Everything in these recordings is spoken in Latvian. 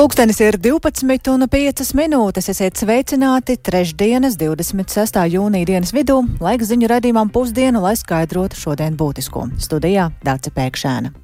Pulkstenis ir 12:05. Esiet sveicināti trešdienas 26. jūnija dienas vidū, laiks ziņu raidījumam pusdienu, lai skaidrotu šodien būtisko. Studijā Dāce Pēkšēna.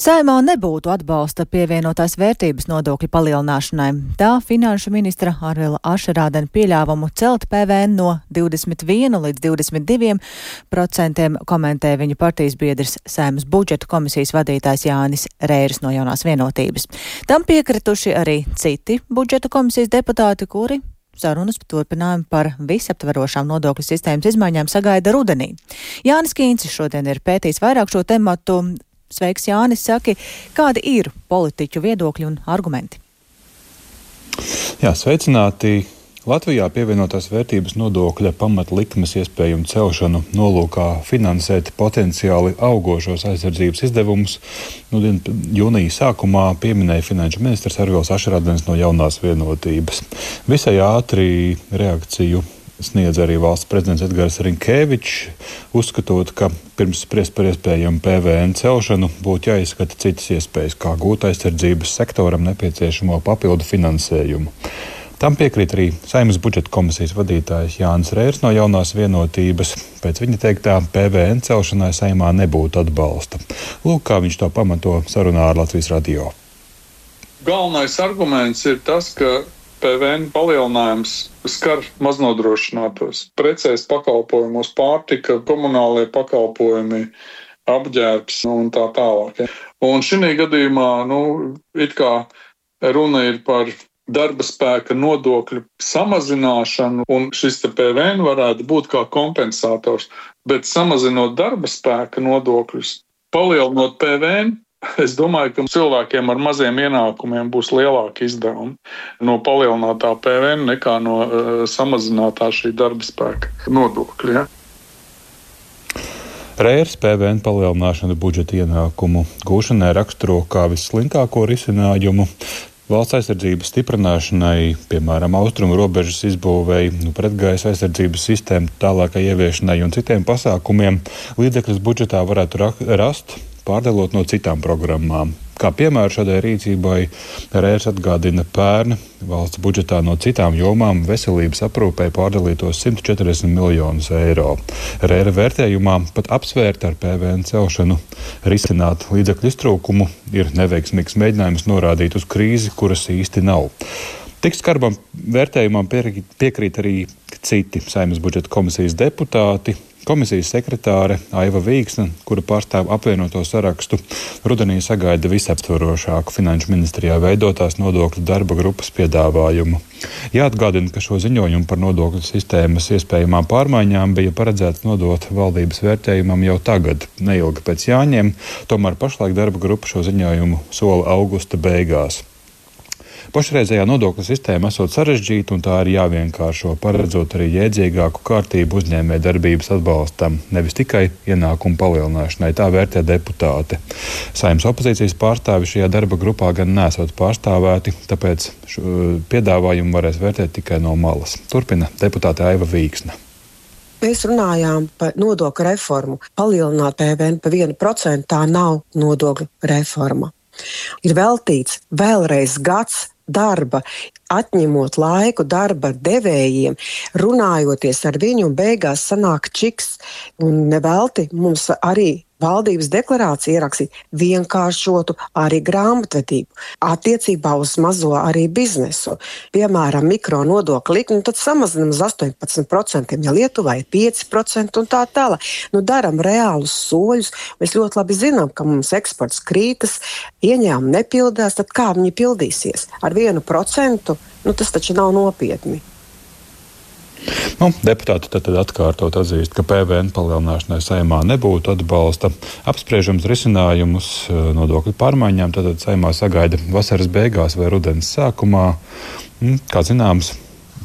Saeimā nebūtu atbalsta pievienotās vērtības nodokļa palielināšanai. Tā finanšu ministra Arvila Ašerādena pieļāvumu celt PVN no 21 līdz 22% komentē viņa partijas biedrs Saeimas budžeta komisijas vadītājs Jānis Reiris no Jaunās vienotības. Tam piekrituši arī citi budžeta komisijas deputāti, kuri sarunas turpinājumu par visaptverošām nodokļu sistēmas izmaiņām sagaida rudenī. Jānis Kīncis šodien ir pētījis vairāk šo tematu. Sveiks, Jānis, saki, kādi ir politiķu viedokļi un argumenti? Jā, sveicināti. Latvijā pievienotās vērtības nodokļa pamatlikmes iespējumu celšanu nolūkā finansēt potenciāli augošos aizsardzības izdevumus. Jūnija sākumā pieminēja finanšu ministrs Arvils Ašerādens no Jaunās vienotības. Visai ātri reakciju sniedz arī valsts prezidents Edgars Rinkēvičs, uzskatot, ka pirms spriest par iespējamu PVN celšanu būtu jāizskata citas iespējas, kā gūt aizsardzības sektoram nepieciešamo papildu finansējumu. Tam piekrīt arī Saeimas budžeta komisijas vadītājs Jānis Reiris no Jaunās vienotības. Pēc viņa teiktā PVN celšanai Saeimā nebūtu atbalsta. Lūk, kā viņš to pamato sarunā ar Latvijas radio. Galvenais arguments ir tas, ka PVN palielinājums skar maznodrošinātos. Precēs pakalpojumos pārtika, komunālie pakalpojumi, apģērbs un tā tālāk. Un šī gadījumā, it kā runa ir par darba spēka nodokļu samazināšanu, un šis PVN varētu būt kā kompensators. Bet samazinot darba spēka nodokļus, palielinot PVN, es domāju, ka cilvēkiem ar maziem ienākumiem būs lielāki izdevumi no palielinātā PVN nekā no samazinātā šī darba spēka nodokļa. Ja? Reiris PVN palielināšanu budžeta ienākumu gūšanai raksturo kā visslinkāko risinājumu. Valsts aizsardzības stiprināšanai, piemēram, austrumu robežas izbūvēi, pretgaisa aizsardzības sistēmu tālākai ieviešanai un citiem pasākumiem līdzekļus budžetā varētu rast, pārdalot no citām programmām. Kā piemēru šādai rīcībai Reiris atgādina pērn valsts budžetā no citām jomām veselības aprūpei pārdalītos 140 miljonus eiro. Reira vērtējumā pat apsvērt ar PVN celšanu risināt līdzekļu iztrūkumu ir neveiksmīgs mēģinājums norādīt uz krīzi, kuras īsti nav. Tik skarbam vērtējumam piekrīt arī citi Saeimas budžeta komisijas deputāti. Komisijas sekretāre Aiva Vīksne, kura pārstāv apvienoto sarakstu, rudenī sagaida visaptvarošāku finanšu ministrijā veidotās nodokļu darba grupas piedāvājumu. Jāatgādina, ka šo ziņojumu par nodokļu sistēmas iespējamām pārmaiņām bija paredzēts nodot valdības vērtējumam jau tagad, neilgi pēc Jāņiem, tomēr pašlaik darba grupa šo ziņojumu sola augusta beigās. Pašreizējā nodokļu sistēma esot sarežģīta un tā ir jāvienkāršo, paredzot arī jēdzīgāku kārtību uzņēmēju darbības atbalstam, nevis tikai ienākumu palielināšanai, tā vērtē deputāte. Saeimas opozīcijas pārstāvi šajā darba grupā gan nesot pārstāvēti, tāpēc piedāvājumu varēs vērtēt tikai no malas. Turpina deputāte Aiva Vīksne. Mēs runājām par nodokļu reformu. Palielināt PVN pa 1% tā nav nodokļu reforma. Ir veltīts vēlreiz gads darba, atņemot laiku darba devējiem, runājoties ar viņu, un beigās sanāk čiks. Un nevelti mums arī valdības deklarācija ierakstīt vienkāršotu arī grāmatvedību attiecībā uz mazo arī biznesu. Piemēram, mikro nodokļu likmi, tad samazinām uz 18%, ja Lietuvā ir 5% un tā tālāk. Daram reālus soļus. Mēs ļoti labi zinām, ka mums eksports krītas, ieņēmumi nepildās, tad kā viņi pildīsies? Ar 1%, tas taču nav nopietni. Deputāti tad atkārtot atzīst, ka PVN palielināšanai Saeimā nebūtu atbalsta. Apspriežams risinājumus nodokļu pārmaiņām tad Saeimā sagaida vasaras beigās vai rudens sākumā. Kā zināms,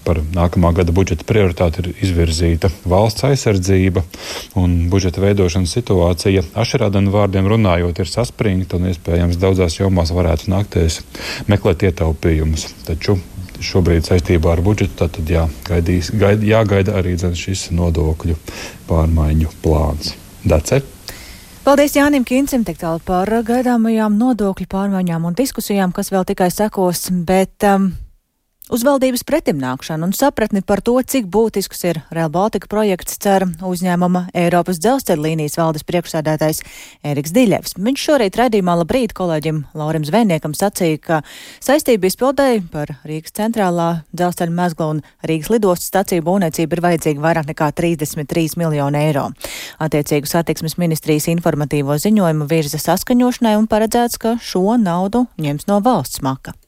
par nākamā gada budžeta prioritāti ir izvirzīta valsts aizsardzība un budžeta veidošanas situācija. Ašerādena vārdiem runājot ir saspringta un iespējams daudzās jomās varētu nākties meklēt ietaupījumus. Taču šobrīd saistībā ar budžetu tad jāgaida arī šis nodokļu pārmaiņu plāns. Dace? Paldies Jānim Kincim tik tālu par gaidāmajām nodokļu pārmaiņām un diskusijām, kas vēl tikai sekos, bet uz valdības pretimnākšanu un sapratni par to, cik būtisks ir Rail Baltica projekts, cer uzņēmuma Eiropas dzelzceļa līnijas valdes priekšsēdētājs Ēriks Diļevs. Viņš šorīt raidījumā Labrīt kolēģim Laurim Zvejniekam sacīja, ka saistību izpildēji par Rīgas centrālā dzelzceļa mezgla un Rīgas lidostas staciju būvniecību ir vajadzīgi vairāk nekā 33 miljoni eiro. Attiecīgu satiksmes ministrijas informatīvo ziņojumu virza saskaņošanai un paredzēts, ka šo naudu ņems no valsts maka.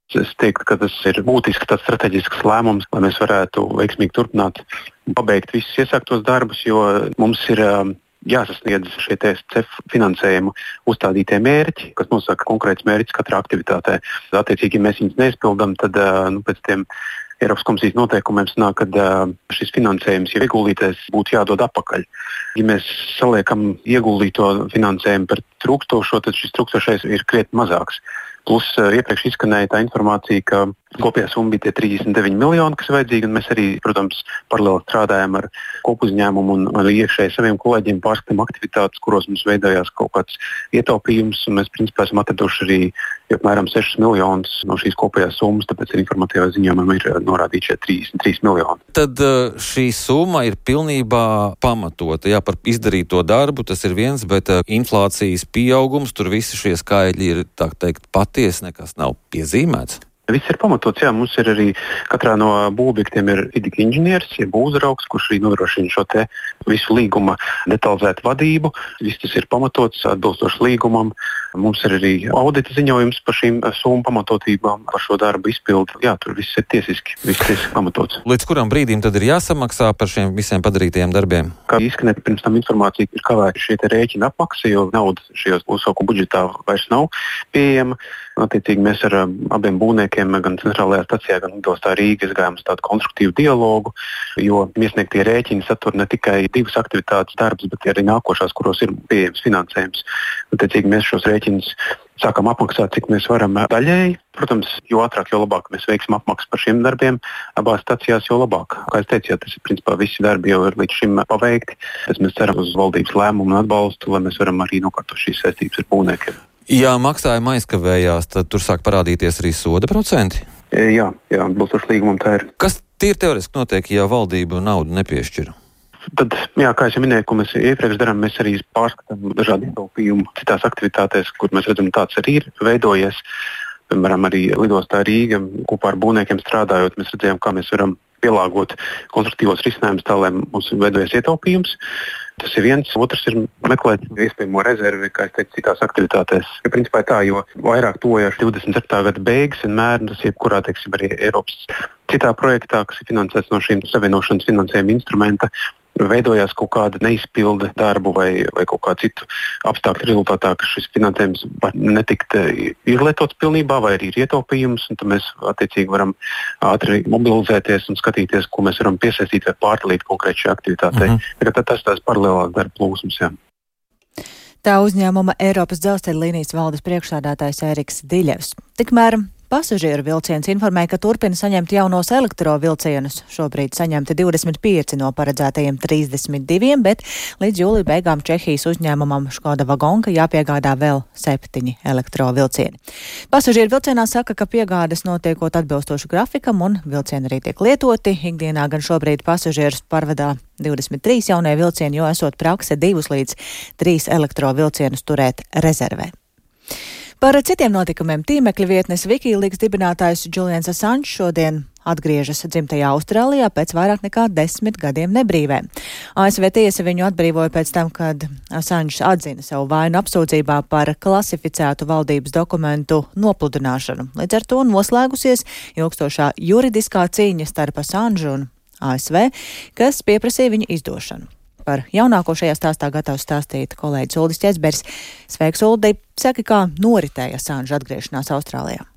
Es teiktu, ka tas ir būtiski tāds strateģisks lēmums, lai mēs varētu veiksmīgi turpināt un pabeigt visus iesāktos darbus, jo mums ir jāsasniedz šie CEF finansējumu uzstādītie mērķi, kas nosaka konkrēts mērķis katrā aktivitātē. Attiecīgi, ja mēs viņus neizpildām, tad pēc tiem Eiropas komisijas noteikumiem sanāk, ka šis finansējums jau ieguldītais būtu jādod atpakaļ. Ja mēs saliekam ieguldīto finansējumu par trūkstošo, tad šis trūkstošais ir krietni mazāks. Plus iepriekš izskanēja tā informācija, ka kopējā summa bija tie 39 miljoni, kas ir vajadzīgi, un mēs arī, protams, paralēli strādājam ar kopuzņēmumu un arī iekšēji saviem kolēģiem pārskatām aktivitātes, kuros mums veidojās kaut kāds ietaupījums, un mēs principā esam atraduši arī apmēram 6 miljonus no šīs kopējās summas, tāpēc arī informatīvā ziņojumā ir norādīti šie 33 miljoni. Tad šī summa ir pilnībā pamatota. Jā, par izdarīto darbu tas ir viens, bet inflācijas pieaugums, tur visi šie skaitļi ir, tā teikt, patiesi, nekas nav piezīmēts. Viss ir pamatots, jā, mums ir arī katrā no būvobjektiem ir vidika inženieris, jeb uzraugs, kurš arī nodrošina šo te visu līguma detalizētu vadību. Viss tas ir pamatots atbilstoši līgumam. Mums ir arī audita ziņojums par šīm summu pamatotībām, par šo darbu izpildu. Jā, tur viss ir tiesiski pamatots. Līdz kuram brīdim tad ir jāsamaksā par šiem visiem padarītajiem darbiem? Kā izskanēja pirms tam informācija, ir kavēta šie rēķina apmaksa, jo nauda šajos uzsaukumu budžetā vairs nav pieejama. Attiecīgi mēs ar abiem būvniekiem, gan centrālajā stacijā, gan lidostā Rīga izgājām uz tādu konstruktīvu dialogu, jo iesniegtie rēķini satur ne tikai divas aktivitātes darbus, bet arī nākošās, kuros ir pieejams finansējums. Attiecīgi mēs šos rēķinus sākam apmaksāt, cik mēs varam daļēji. Protams, jo ātrāk, jo labāk mēs veiksim apmaksu par šiem darbiem abās stacijās, jo labāk. Kā es teicu, tas ir principā visi darbi jau ir līdz šim paveikti. Mēs ceram uz valdības lēmumu un atbalstu, lai mēs varam arī nokārtot šīs saistības ar būvniekiem. Ja maksājuma aizkavējās, tad tur sāk parādīties arī soda procenti? Jā, atbilstoši līgumam tā ir. Kas tīri teoretiski notiek, ja valdība naudu nepiešķir? Tad, jā, kā es jau minēju, ko mēs iepriekš darām, mēs arī pārskatām dažādu ietaupījumu citās aktivitātēs, kur mēs redzam, tāds arī ir veidojies. Piemēram, arī lidostā Rīga kopā ar būvniekiem strādājot, mēs redzējām, kā mēs varam pielāgot konstruktīvos risinājumus tā, lai mums veidojas ietaupījums. Tas ir viens. Otrs ir meklēt iespējamo rezervi, kā es teicu, citās aktivitātēs. Ja principā tā, jo vairāk tojoši 24. gada beigas vienmēr, tas jebkurā, teiksim, arī Eiropas citā projektā, kas ir finansēts no šīm savienošanas finansējuma instrumenta, veidojās kaut kāda neizpilde darbu vai kaut kā citu apstākļu rezultātā, ka šis finansējums var netikt izlietots pilnībā vai arī ir ietaupījums, un tad mēs attiecīgi varam ātri mobilizēties un skatīties, ko mēs varam piesaistīt vai pārdalīt konkrēti šajā aktivitātei. Tas tās paralēlās darba plūsmas, jā. Tā uzņēmuma Eiropas dzelzceļa līnijas valdes priekšsēdētājs Ēriks Diļevs. Tikmēr pasažieru vilciens informēja, ka turpina saņemt jaunos elektrovilcienus. Šobrīd saņemti 25 no paredzētajiem 32, bet līdz jūlija beigām Čehijas uzņēmumam Škoda Vagonka jāpiegādā vēl 7 elektrovilcieni. Pasažieru vilcienā saka, ka piegādes notiekot atbilstoši grafikam un vilcieni arī tiek lietoti. Ikdienā gan šobrīd pasažierus parvadā 23 jaunie vilcieni, jo esot prakse 2 līdz 3 elektrovilcienus turēt rezervē. Par citiem notikumiem tīmekļa vietnes Wikileaks dibinātājs Julians Assange šodien atgriežas dzimtajā Austrālijā pēc vairāk nekā 10 gadiem nebrīvē. ASV tiesa viņu atbrīvoja pēc tam, kad Assange atzina savu vainu apsūdzībā par klasificētu valdības dokumentu nopludināšanu. Līdz ar to noslēgusies ilgstošā juridiskā cīņa starp Assange un ASV, kas pieprasīja viņa izdošanu. Par jaunāko šajā stāstā gatavs stāstīt kolēģis Uldis Ķezberis. Sveiks, Uldi! Saki, kā noritēja Assange atgriešanās Austrālijā?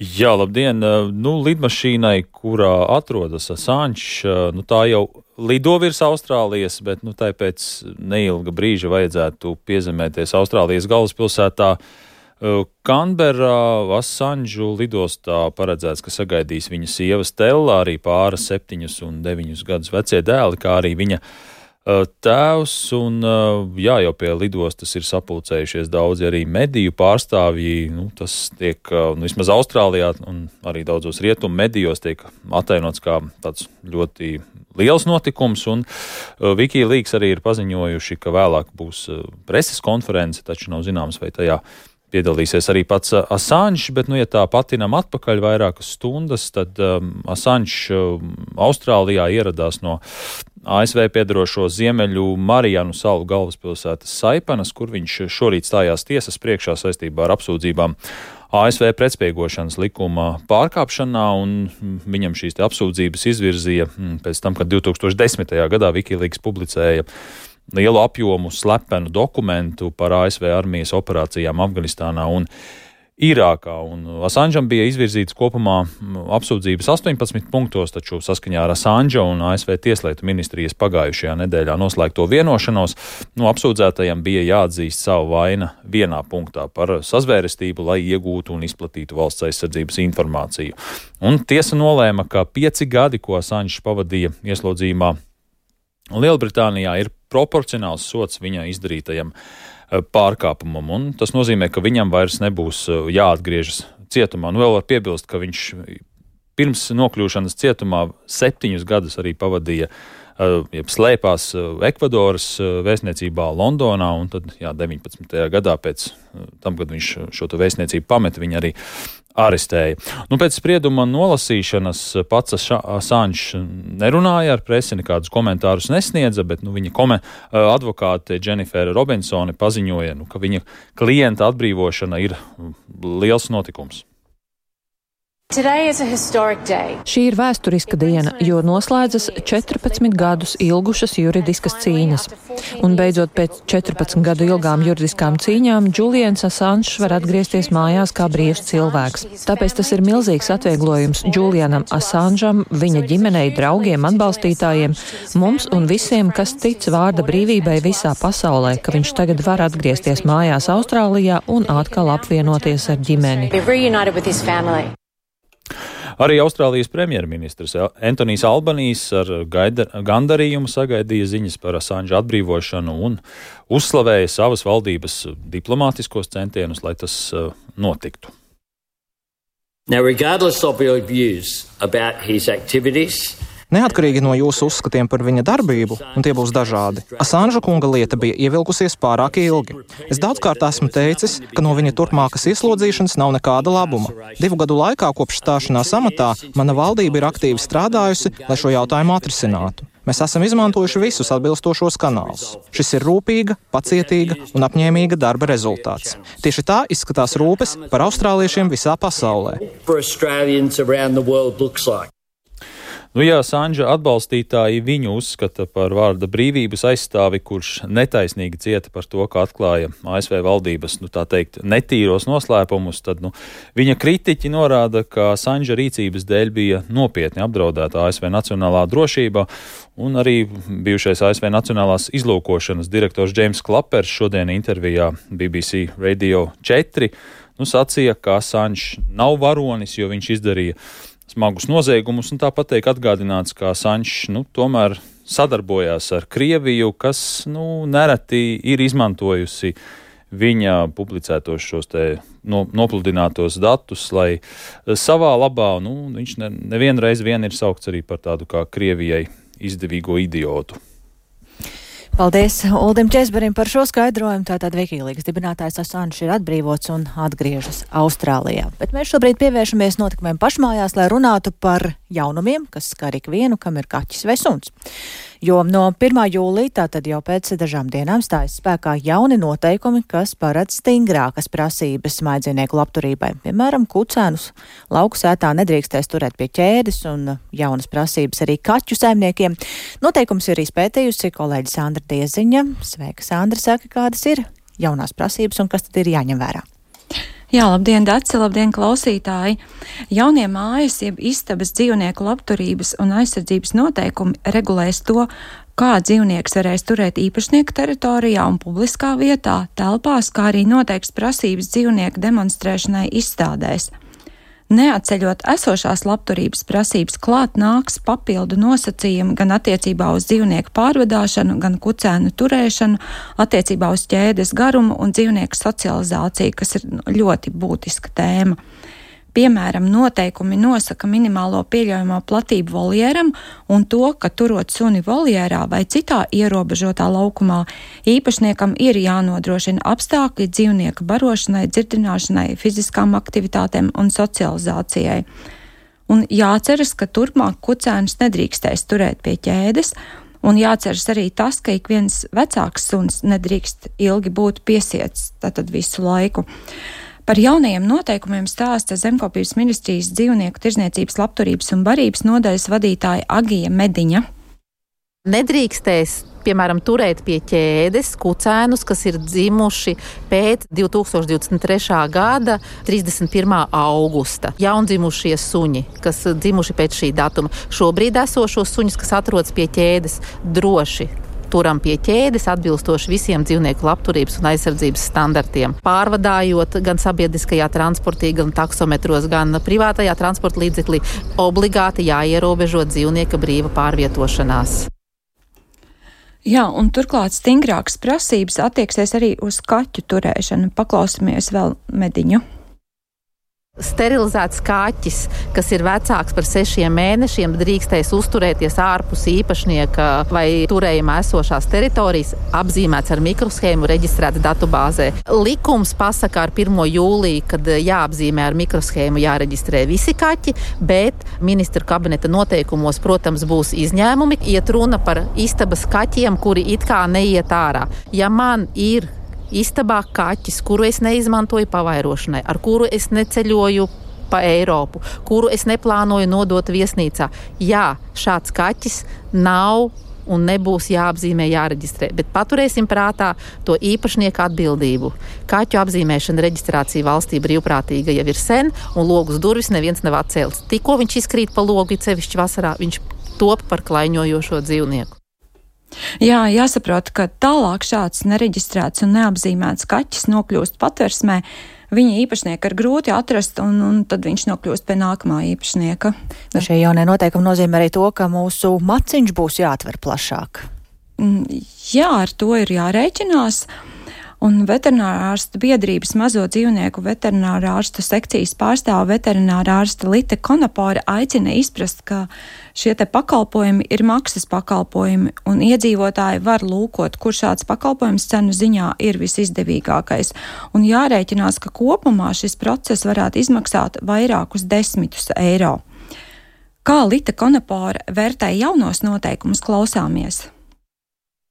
Jā, labdien! Lidmašīnai, kurā atrodas Assange, tā jau lido virs Austrālijas, bet tai pēc neilga brīža vajadzētu piezemēties Austrālijas galvaspilsētā Kanberā. Assange lidostā paredzēts, ka sagaidīs viņa sieva Stella, arī pāra 7 un 9 gadus vecie dēli, kā arī viņa tēvs, un jau pie lidostas ir sapulcējušies daudzi arī mediju pārstāvji. Tas tiek, vismaz Austrālijā un arī daudzos rietumu medijos tiek atainots kā tāds ļoti liels notikums, un Wikileaks arī ir paziņojuši, ka vēlāk būs preses konference, taču nav zināms, vai tajā piedalīsies arī pats Assange, bet, ja tā patinam atpakaļ vairākas stundas, tad Assange Austrālijā ieradās no ASV piedarošo Ziemeļu Marijanu salu galvaspilsētas Saipanas, kur viņš šorīt stājās tiesas priekšā saistībā ar apsūdzībām ASV pretspiegošanas likuma pārkāpšanā, un viņam šīs apsūdzības izvirzīja pēc tam, kad 2010. gadā Wikileaks publicēja lielu apjomu slepenu dokumentu par ASV armijas operācijām Afganistānā un Irākā. Un Assangeam bija izvirzīts kopumā apsūdzības 18 punktos, taču saskaņā ar Assange un ASV tieslietu ministrijas pagājušajā nedēļā noslēgto vienošanos, apsūdzētajam bija jāatzīst savu vaina vienā punktā par sazvērestību, lai iegūtu un izplatītu valsts aizsardzības informāciju. Un tiesa nolēma, ka 5 gadi, ko Assange pavadīja ieslodzījumā Lielbritānijā, ir proporcionāls sots viņa izdarītajam pārkāpumam, un tas nozīmē, ka viņam vairs nebūs jāatgriežas cietumā. Vēl var piebilst, ka viņš pirms nokļūšanas cietumā 7 gadus arī pavadīja, slēpās Ekvadoras vēstniecībā Londonā, un tad 19. gadā pēc tam, kad viņš šo vēstniecību pameta, viņa arī arestēja. Pēc sprieduma nolasīšanas pats Assange nerunāja ar presi, nekādus komentārus nesniedza, bet viņa advokāte Jennifer Robinsone paziņoja, ka viņa klienta atbrīvošana ir liels notikums. Šī ir vēsturiska diena, jo noslēdzas 14 gadus ilgušas juridiskas cīņas. Un beidzot pēc 14 gadu ilgām juridiskām cīņām Julians Assange var atgriezties mājās kā brīvs cilvēks. Tāpēc tas ir milzīgs atvieglojums Julianam Assangeam, viņa ģimenei, draugiem, atbalstītājiem, mums un visiem, kas tic vārda brīvībai visā pasaulē, ka viņš tagad var atgriezties mājās Austrālijā un atkal apvienoties ar ģimeni. Arī Austrālijas premjerministrs Antonijs Albanijs ar gandarījumu sagaidīja ziņas par Assange atbrīvošanu un uzslavēja savas valdības diplomātiskos centienus, lai tas notiktu. Now, regardless of your views about his activities, neatkarīgi no jūsu uzskatiem par viņa darbību, un tie būs dažādi, Assange kunga lieta bija ievilkusies pārāk ilgi. Es daudzkārt esmu teicis, ka no viņa turpmākas ieslodzīšanas nav nekāda labuma. 2 gadu laikā kopš stāšanās amatā mana valdība ir aktīvi strādājusi, lai šo jautājumu atrisinātu. Mēs esam izmantojuši visus atbilstošos kanālus. Šis ir rūpīga, pacietīga un apņēmīga darba rezultāts. Tieši tā izskatās rūpes par austrāliešiem visā pasaulē. Ja Assange atbalstītāji viņu uzskata par vārda brīvības aizstāvi, kurš netaisnīgi cieta par to, ka atklāja ASV valdības, tā teikt, netīros noslēpumus, tad viņa kritiķi norāda, ka Assange rīcības dēļ bija nopietni apdraudēta ASV nacionālā drošība, un arī bijušais ASV nacionālās izlūkošanas direktors James Clappers šodien intervijā BBC Radio 4 sacīja, ka Assange nav varonis, jo viņš izdarīja smagus noziegumus, un tāpat tiek atgādināts, ka Assange tomēr sadarbojās ar Krieviju, kas nereti ir izmantojusi viņa publicētos šos nopludinātos datus, lai savā labā, viņš nevienreiz ir saukts arī par tādu kā Krievijai izdevīgo idiotu. Paldies Uldim Česberim par šo skaidrojumu. Tātad Wikileaks dibinātājs Assange ir atbrīvots un atgriežas Austrālijā. Bet mēs šobrīd pievēršamies notikumiem pašmājās, lai runātu par jaunumiem, kas skar ikvienu, kam ir kaķis vai suns. Jo no 1. jūlija, tātad jau pēc dažām dienām, stājas spēkā jauni noteikumi, kas paredz stingrākas prasības mājdzīvnieku labturībai. Piemēram, kucēnus lauku sētā nedrīkstēs turēt pie ķēdes, un jaunas prasības arī kaķu saimniekiem. Noteikums ir izpētījusi kolēģi Sandra Dieziņa. Sveika, Sandra, saka, kādas ir jaunās prasības un kas tad ir jāņem vērā? Jā, labdien, Dace, labdien, klausītāji! Jaunie mājas, jeb istabas dzīvnieku labturības un aizsardzības noteikumi regulēs to, kā dzīvnieks varēs turēt īpašnieku teritorijā un publiskā vietā, telpās, kā arī noteiks prasības dzīvnieku demonstrēšanai izstādēs. Neatceļot esošās labturības prasības, klāt nāks papildu nosacījumi gan attiecībā uz dzīvnieku pārvadāšanu, gan kucēnu turēšanu, attiecībā uz ķēdes garumu un dzīvnieku socializāciju, kas ir ļoti būtiska tēma. Piemēram, noteikumi nosaka minimālo pieļaujamo platību voljeram un to, ka turot suni voljērā vai citā ierobežotā laukumā, īpašniekam ir jānodrošina apstākļi dzīvnieka barošanai, dzirdināšanai, fiziskām aktivitātēm un socializācijai. Un jāceras, ka turpmāk kucēnus nedrīkstēs turēt pie ķēdes, un jāceras arī tas, ka ik viens vecāks suns nedrīkst ilgi būt piesiets, tātad visu laiku. Par jaunajiem noteikumiem stāsta Zemkopības ministrijas dzīvnieku tirdzniecības, labturības un barības nodaļas vadītāja Agija Mediņa. Nedrīkstēs, piemēram, turēt pie ķēdes kucēnus, kas ir dzimuši pēc 2023. gada 31. augusta. Jaundzimušie suņi, kas dzimuši pēc šī datuma. Šobrīd esošos suņus, kas atrodas pie ķēdes, droši turam pie ķēdes atbilstoši visiem dzīvnieku labturības un aizsardzības standartiem. Pārvadājot gan sabiedriskajā transportī, gan taksometros, gan privātajā transporta līdzeklī, obligāti jāierobežo dzīvnieka brīva pārvietošanās. Jā, un turklāt stingrākas prasības attieksies arī uz kaķu turēšanu. Paklausāmies vēl Mediņu. Sterilizēts kaķis, kas ir vecāks par 6 mēnešiem, drīkstēs uzturēties ārpus īpašnieka vai turējumā esošās teritorijas, apzīmēts ar mikroshēmu, reģistrēts datubāzē. Likums pasaka ar 1. jūliju, kad jāapzīmē ar mikroshēmu, jāreģistrē visi kaķi, bet ministru kabineta noteikumos, protams, būs izņēmumi. Iet runa par istabas kaķiem, kuri it kā neiet ārā. Ja man ir istabā kaķis, kuru es neizmantoju pavairošanai, ar kuru es neceļoju pa Eiropu, kuru es neplānoju nodot viesnīcā. Jā, šāds kaķis nav un nebūs jāapzīmē, jāreģistrē, bet paturēsim prātā to īpašnieku atbildību. Kaķu apzīmēšana, reģistrācija valstī brīvprātīga jau ir sen, un logus durvis neviens nav atcēlis. Tikko viņš izkrīt pa logu, cevišķi vasarā, viņš top par klaiņojošo dzīvnieku. Jā, jāsaprot, ka tālāk šāds nereģistrēts un neapzīmēts kaķis nokļūst patversmē, viņa īpašnieka ir grūti atrast, un tad viņš nokļūst pie nākamā īpašnieka. Šie jaunie noteikumi nozīmē arī to, ka mūsu maciņš būs jāatver plašāk. Jā, ar to ir jārēķinās. Un veterinārārstu biedrības mazo dzīvnieku veterinārārstu sekcijas pārstāva veterinārārsta Lite Konapore aicina izprast, ka šie te pakalpojumi ir maksas pakalpojumi, un iedzīvotāji var lūkot, kur šāds pakalpojums cenu ziņā ir visizdevīgākais. Un jārēķinās, ka kopumā šis process varētu izmaksāt vairākus 10 eiro. Kā Lite Konapore vērtē jaunos noteikumus, klausāmies.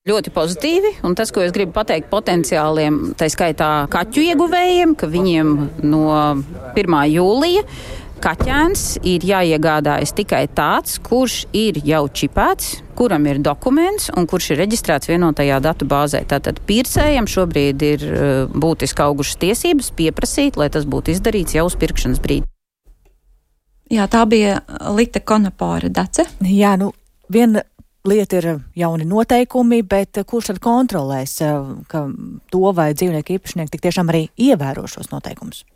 Ļoti pozitīvi, un tas, ko es gribu pateikt potenciāliem, tā skaitā kaķu ieguvējiem, ka viņiem no 1. jūlija kaķēns ir jāiegādājas tikai tāds, kurš ir jau čipēts, kuram ir dokuments un kurš ir reģistrēts vienotajā datu bāzē. Tātad pircējiem šobrīd ir būtiski augušas tiesības pieprasīt, lai tas būtu izdarīts jau uz pirkšanas brīdi. Jā, tā bija Lite Konapore, Dace. Jā, viena lieta ir jauni noteikumi, bet kurš tad kontrolēs, ka to vai dzīvnieku īpašnieki tik tiešām arī ievēro šos noteikumus?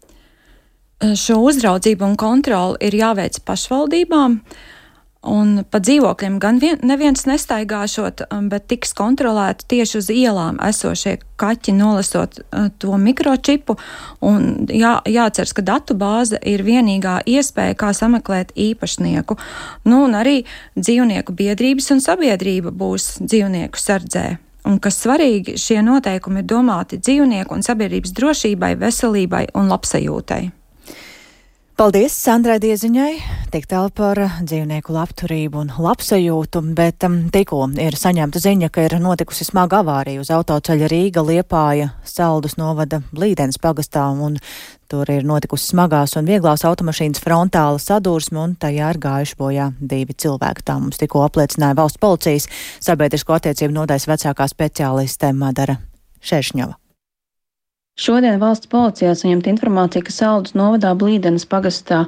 Šo uzraudzību un kontroli ir jāveic pašvaldībām, un pa dzīvokļiem gan neviens nestaigāšot, bet tiks kontrolēti tieši uz ielām esošie kaķi, nolasot to mikročipu, un jāceras, ka datu bāze ir vienīgā iespēja, kā sameklēt īpašnieku. Un arī dzīvnieku biedrības un sabiedrība būs dzīvnieku sardzē. Un kas svarīgi, šie noteikumi ir domāti dzīvnieku un sabiedrības drošībai, veselībai un labsajūtai. Paldies Sandrai Dieziņai, tik tālu par dzīvnieku labturību un labsajūtu, bet tikko ir saņemta ziņa, ka ir notikusi smaga avārija uz autoceļa Rīga Liepāja Saldus novada Blīdenes pagastā, un tur ir notikusi smagās un vieglās automašīnas frontāla sadursme, un tajā ir gājuši bojā 2 cilvēki. Tā mums tikko apliecināja valsts policijas sabiedrisko attiecību nodaļas vecākā speciāliste Madara Šeršņova. Šodien valsts policijā saņemta informācija, ka Saldus novadā Blīdenes pagastā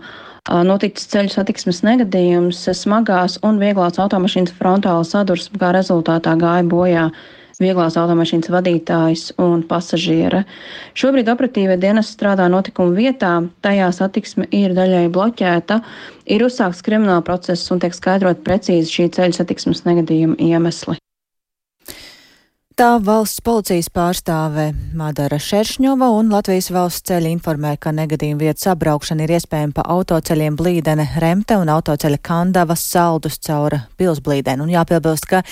noticis ceļu satiksmes negadījums, smagās un vieglās automašīnas frontāla sadursme, kā rezultātā gāja bojā vieglās automašīnas vadītājs un pasažiere. Šobrīd operatīvie dienesti strādā notikuma vietā, tajā satiksme ir daļai bloķēta, ir uzsākts krimināla process un tiek skaidrot precīzi šī ceļu satiksmes negadījuma iemesli. Tā valsts policijas pārstāve Madara Šeršņova un Latvijas valsts ceļi informē, ka negadījuma vietas apbraukšana ir iespējama pa autoceļiem Blīdene Remte un autoceļa Kandavas Saldus caur Pilsblīdeni. Un jāpiebilst, ka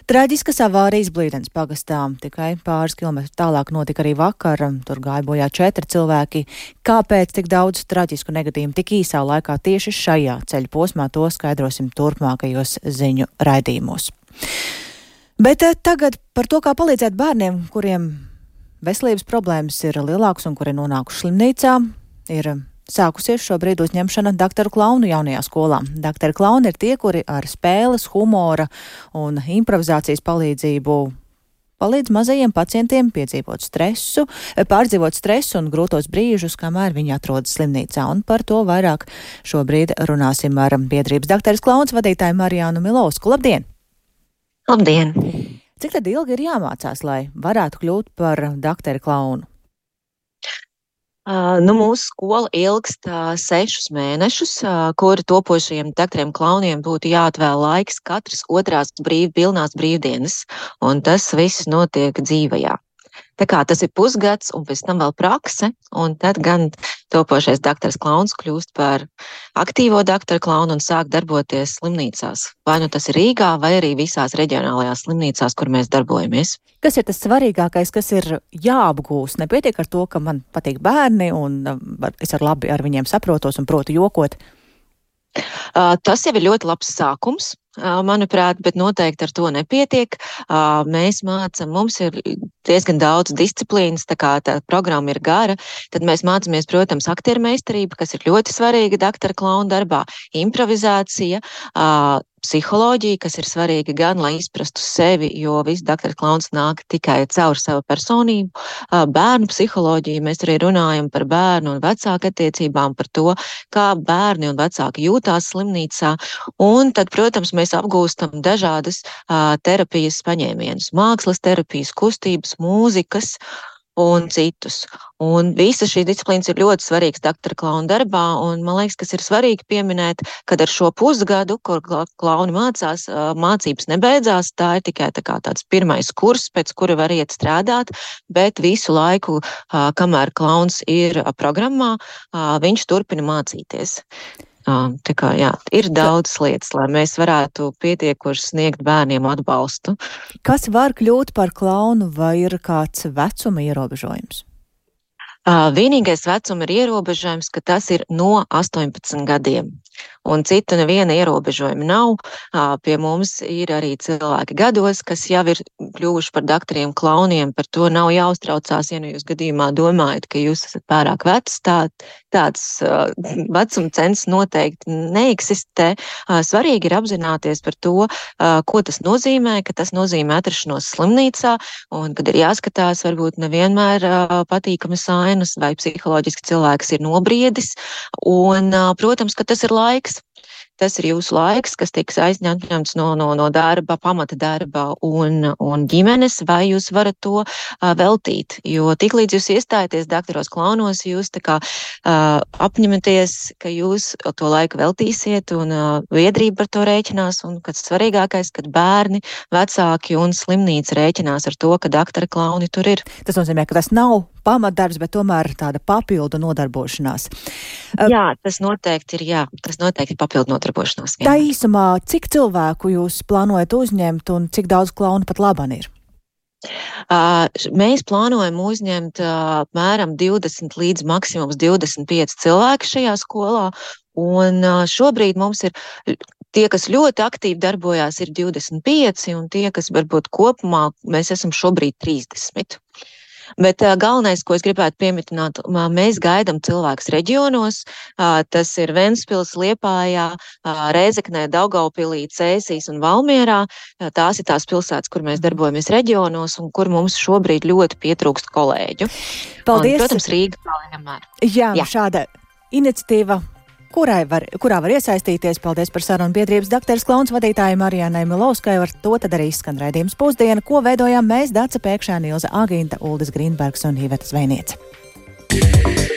traģiskas avārijas Blīdenes pagastā tikai pāris kilometrus tālāk notika arī vakar. Tur gāja bojā 4 cilvēki. Kāpēc tik daudz traģisku negadījumu tik īsā laikā tieši šajā ceļu posmā, to skaidrosim turpmākajos ziņu raidījumos. Bet tagad par to, kā palīdzēt bērniem, kuriem veselības problēmas ir lielākas un kuri nonākuši slimnīcā, ir sākusies šobrīd uzņemšana daktaru klaunu jaunajā skolā. Daktari klauni ir tie, kuri ar spēles, humora un improvizācijas palīdzību palīdz mazajiem pacientiem pārdzīvot stresu un grūtos brīžus, kamēr viņi atrodas slimnīcā. Un par to vairāk šobrīd runāsim ar biedrības daktaris klauns vadītāju Marijānu Milovsku. Labdien! Labdien! Cik tad ilgi ir jāmācās, lai varētu kļūt par daktari klaunu? Mūsu skola ilgst 6 mēnešus, kuri topošajiem daktariem klauniem būtu jāatvēl laiks katras otrās pilnās brīvdienas, un tas viss notiek dzīvajā. Tā kā tas ir pusgads un pēc tam vēl prakse, un tad gan topošais daktars klauns kļūst par aktīvo daktaru klaunu un sāk darboties slimnīcās. Vai nu tas ir Rīgā, vai arī visās reģionālajās slimnīcās, kur mēs darbojamies. Kas ir tas svarīgākais, kas ir jāapgūst? Nepietiek ar to, ka man patīk bērni un es labi ar viņiem saprotos un protu jokot. Tas jau ir ļoti labs sākums. Manuprāt, bet noteikti ar to nepietiek. Mēs mācam, mums ir diezgan daudz disciplīnas, tā kā tā programma ir gara, tad mēs mācāmies, protams, aktiermeistarība, kas ir ļoti svarīga daktara klauna darbā, improvizācija, psiholoģija, kas ir svarīga gan, lai izprastu sevi, jo viss daktara klauns nāk tikai caur savu personību, bērnu psiholoģiju, mēs arī runājam par bērnu un vecāku attiecībām, par to, kā bērni un vecāki jūtās slimnīcā, un tad, protams, mēs apgūstam dažādas terapijas paņēmienus, mākslas terapijas, kustības, mūzikas un citus. Un visas šīs disciplīnas ir ļoti svarīgas daktara klauna darbā, un man liekas, kas ir svarīgi pieminēt, kad ar šo pusgadu, kur klauni mācās, mācības nebeidzās, tā ir tikai tāds pirmais kurs, pēc kura var iet strādāt, bet visu laiku, kamēr klauns ir programmā, viņš turpina mācīties. Tā kā, jā, ir daudz lietas, lai mēs varētu pietiekoši sniegt bērniem atbalstu. Kas var kļūt par klaunu, vai ir kāds vecuma ierobežojums? Vienīgais vecuma ir ierobežojums, ka tas ir no 18 gadiem. Un citu neviena ierobežojuma nav. Pie mums ir arī cilvēki gados, kas jau ir kļuvuši par daktariem klauniem, par to nav jāuztraucās, ja nu jūs gadījumā domājat, ka jūs esat pārāk vecs, tāds vecuma cens noteikti neeksistē. Svarīgi ir apzināties par to, ko tas nozīmē, ka tas nozīmē atrašanos slimnīcā, un kad ir jāskatās varbūt nevienmēr patīkamas ainas vai psiholoģiski cilvēks ir nobriedis, un, protams, ka tas ir laiks. Tas ir jūsu laiks, kas tiks aizņemts no darba, pamata darba un ģimenes, vai jūs varat to veltīt. Jo tiklīdz jūs iestājaties daktaros klaunos, jūs apņematies, ka jūs to laiku veltīsiet, un biedrība par to rēķinās, un kas svarīgākais, kad bērni, vecāki un slimnīca rēķinās ar to, ka daktara klauni tur ir. Tas nozīmē, ka tas nav pamatdarbs, bet tomēr tāda papildu nodarbošanās. Jā, tas noteikti ir papildu nodarbošanās. Tā īsumā, cik cilvēku jūs plānojat uzņemt un cik daudz klaunu pat laban ir? Mēs plānojam uzņemt apmēram 20 līdz maksimums 25 cilvēku šajā skolā, un šobrīd mums ir tie, kas ļoti aktīvi darbojās, ir 25, un tie, kas varbūt kopumā, mēs esam šobrīd 30. Bet galvenais, ko es gribētu pieminēt, mēs gaidām cilvēkus reģionos. Tas ir Ventspils, Liepājā, Rēzeknē, Daugavpilī, Cēsīs un Valmierā. Tās ir tās pilsētas, kur mēs darbojamies reģionos un kur mums šobrīd ļoti pietrūkst kolēģu. Paldies! Un, protams, Rīga vēl vienmēr. Jā, šāda iniciatīva kurā var iesaistīties. Paldies par sarunu biedrības dakteres Klauns vadītājai Marijānai Milovskai. Ar to tad arī skan raidījums Pusdiena, ko veidojām mēs, Dace Pēkšēna, Ilze Agīnta, Uldis Grīnbergs un Iveta Zvejniece.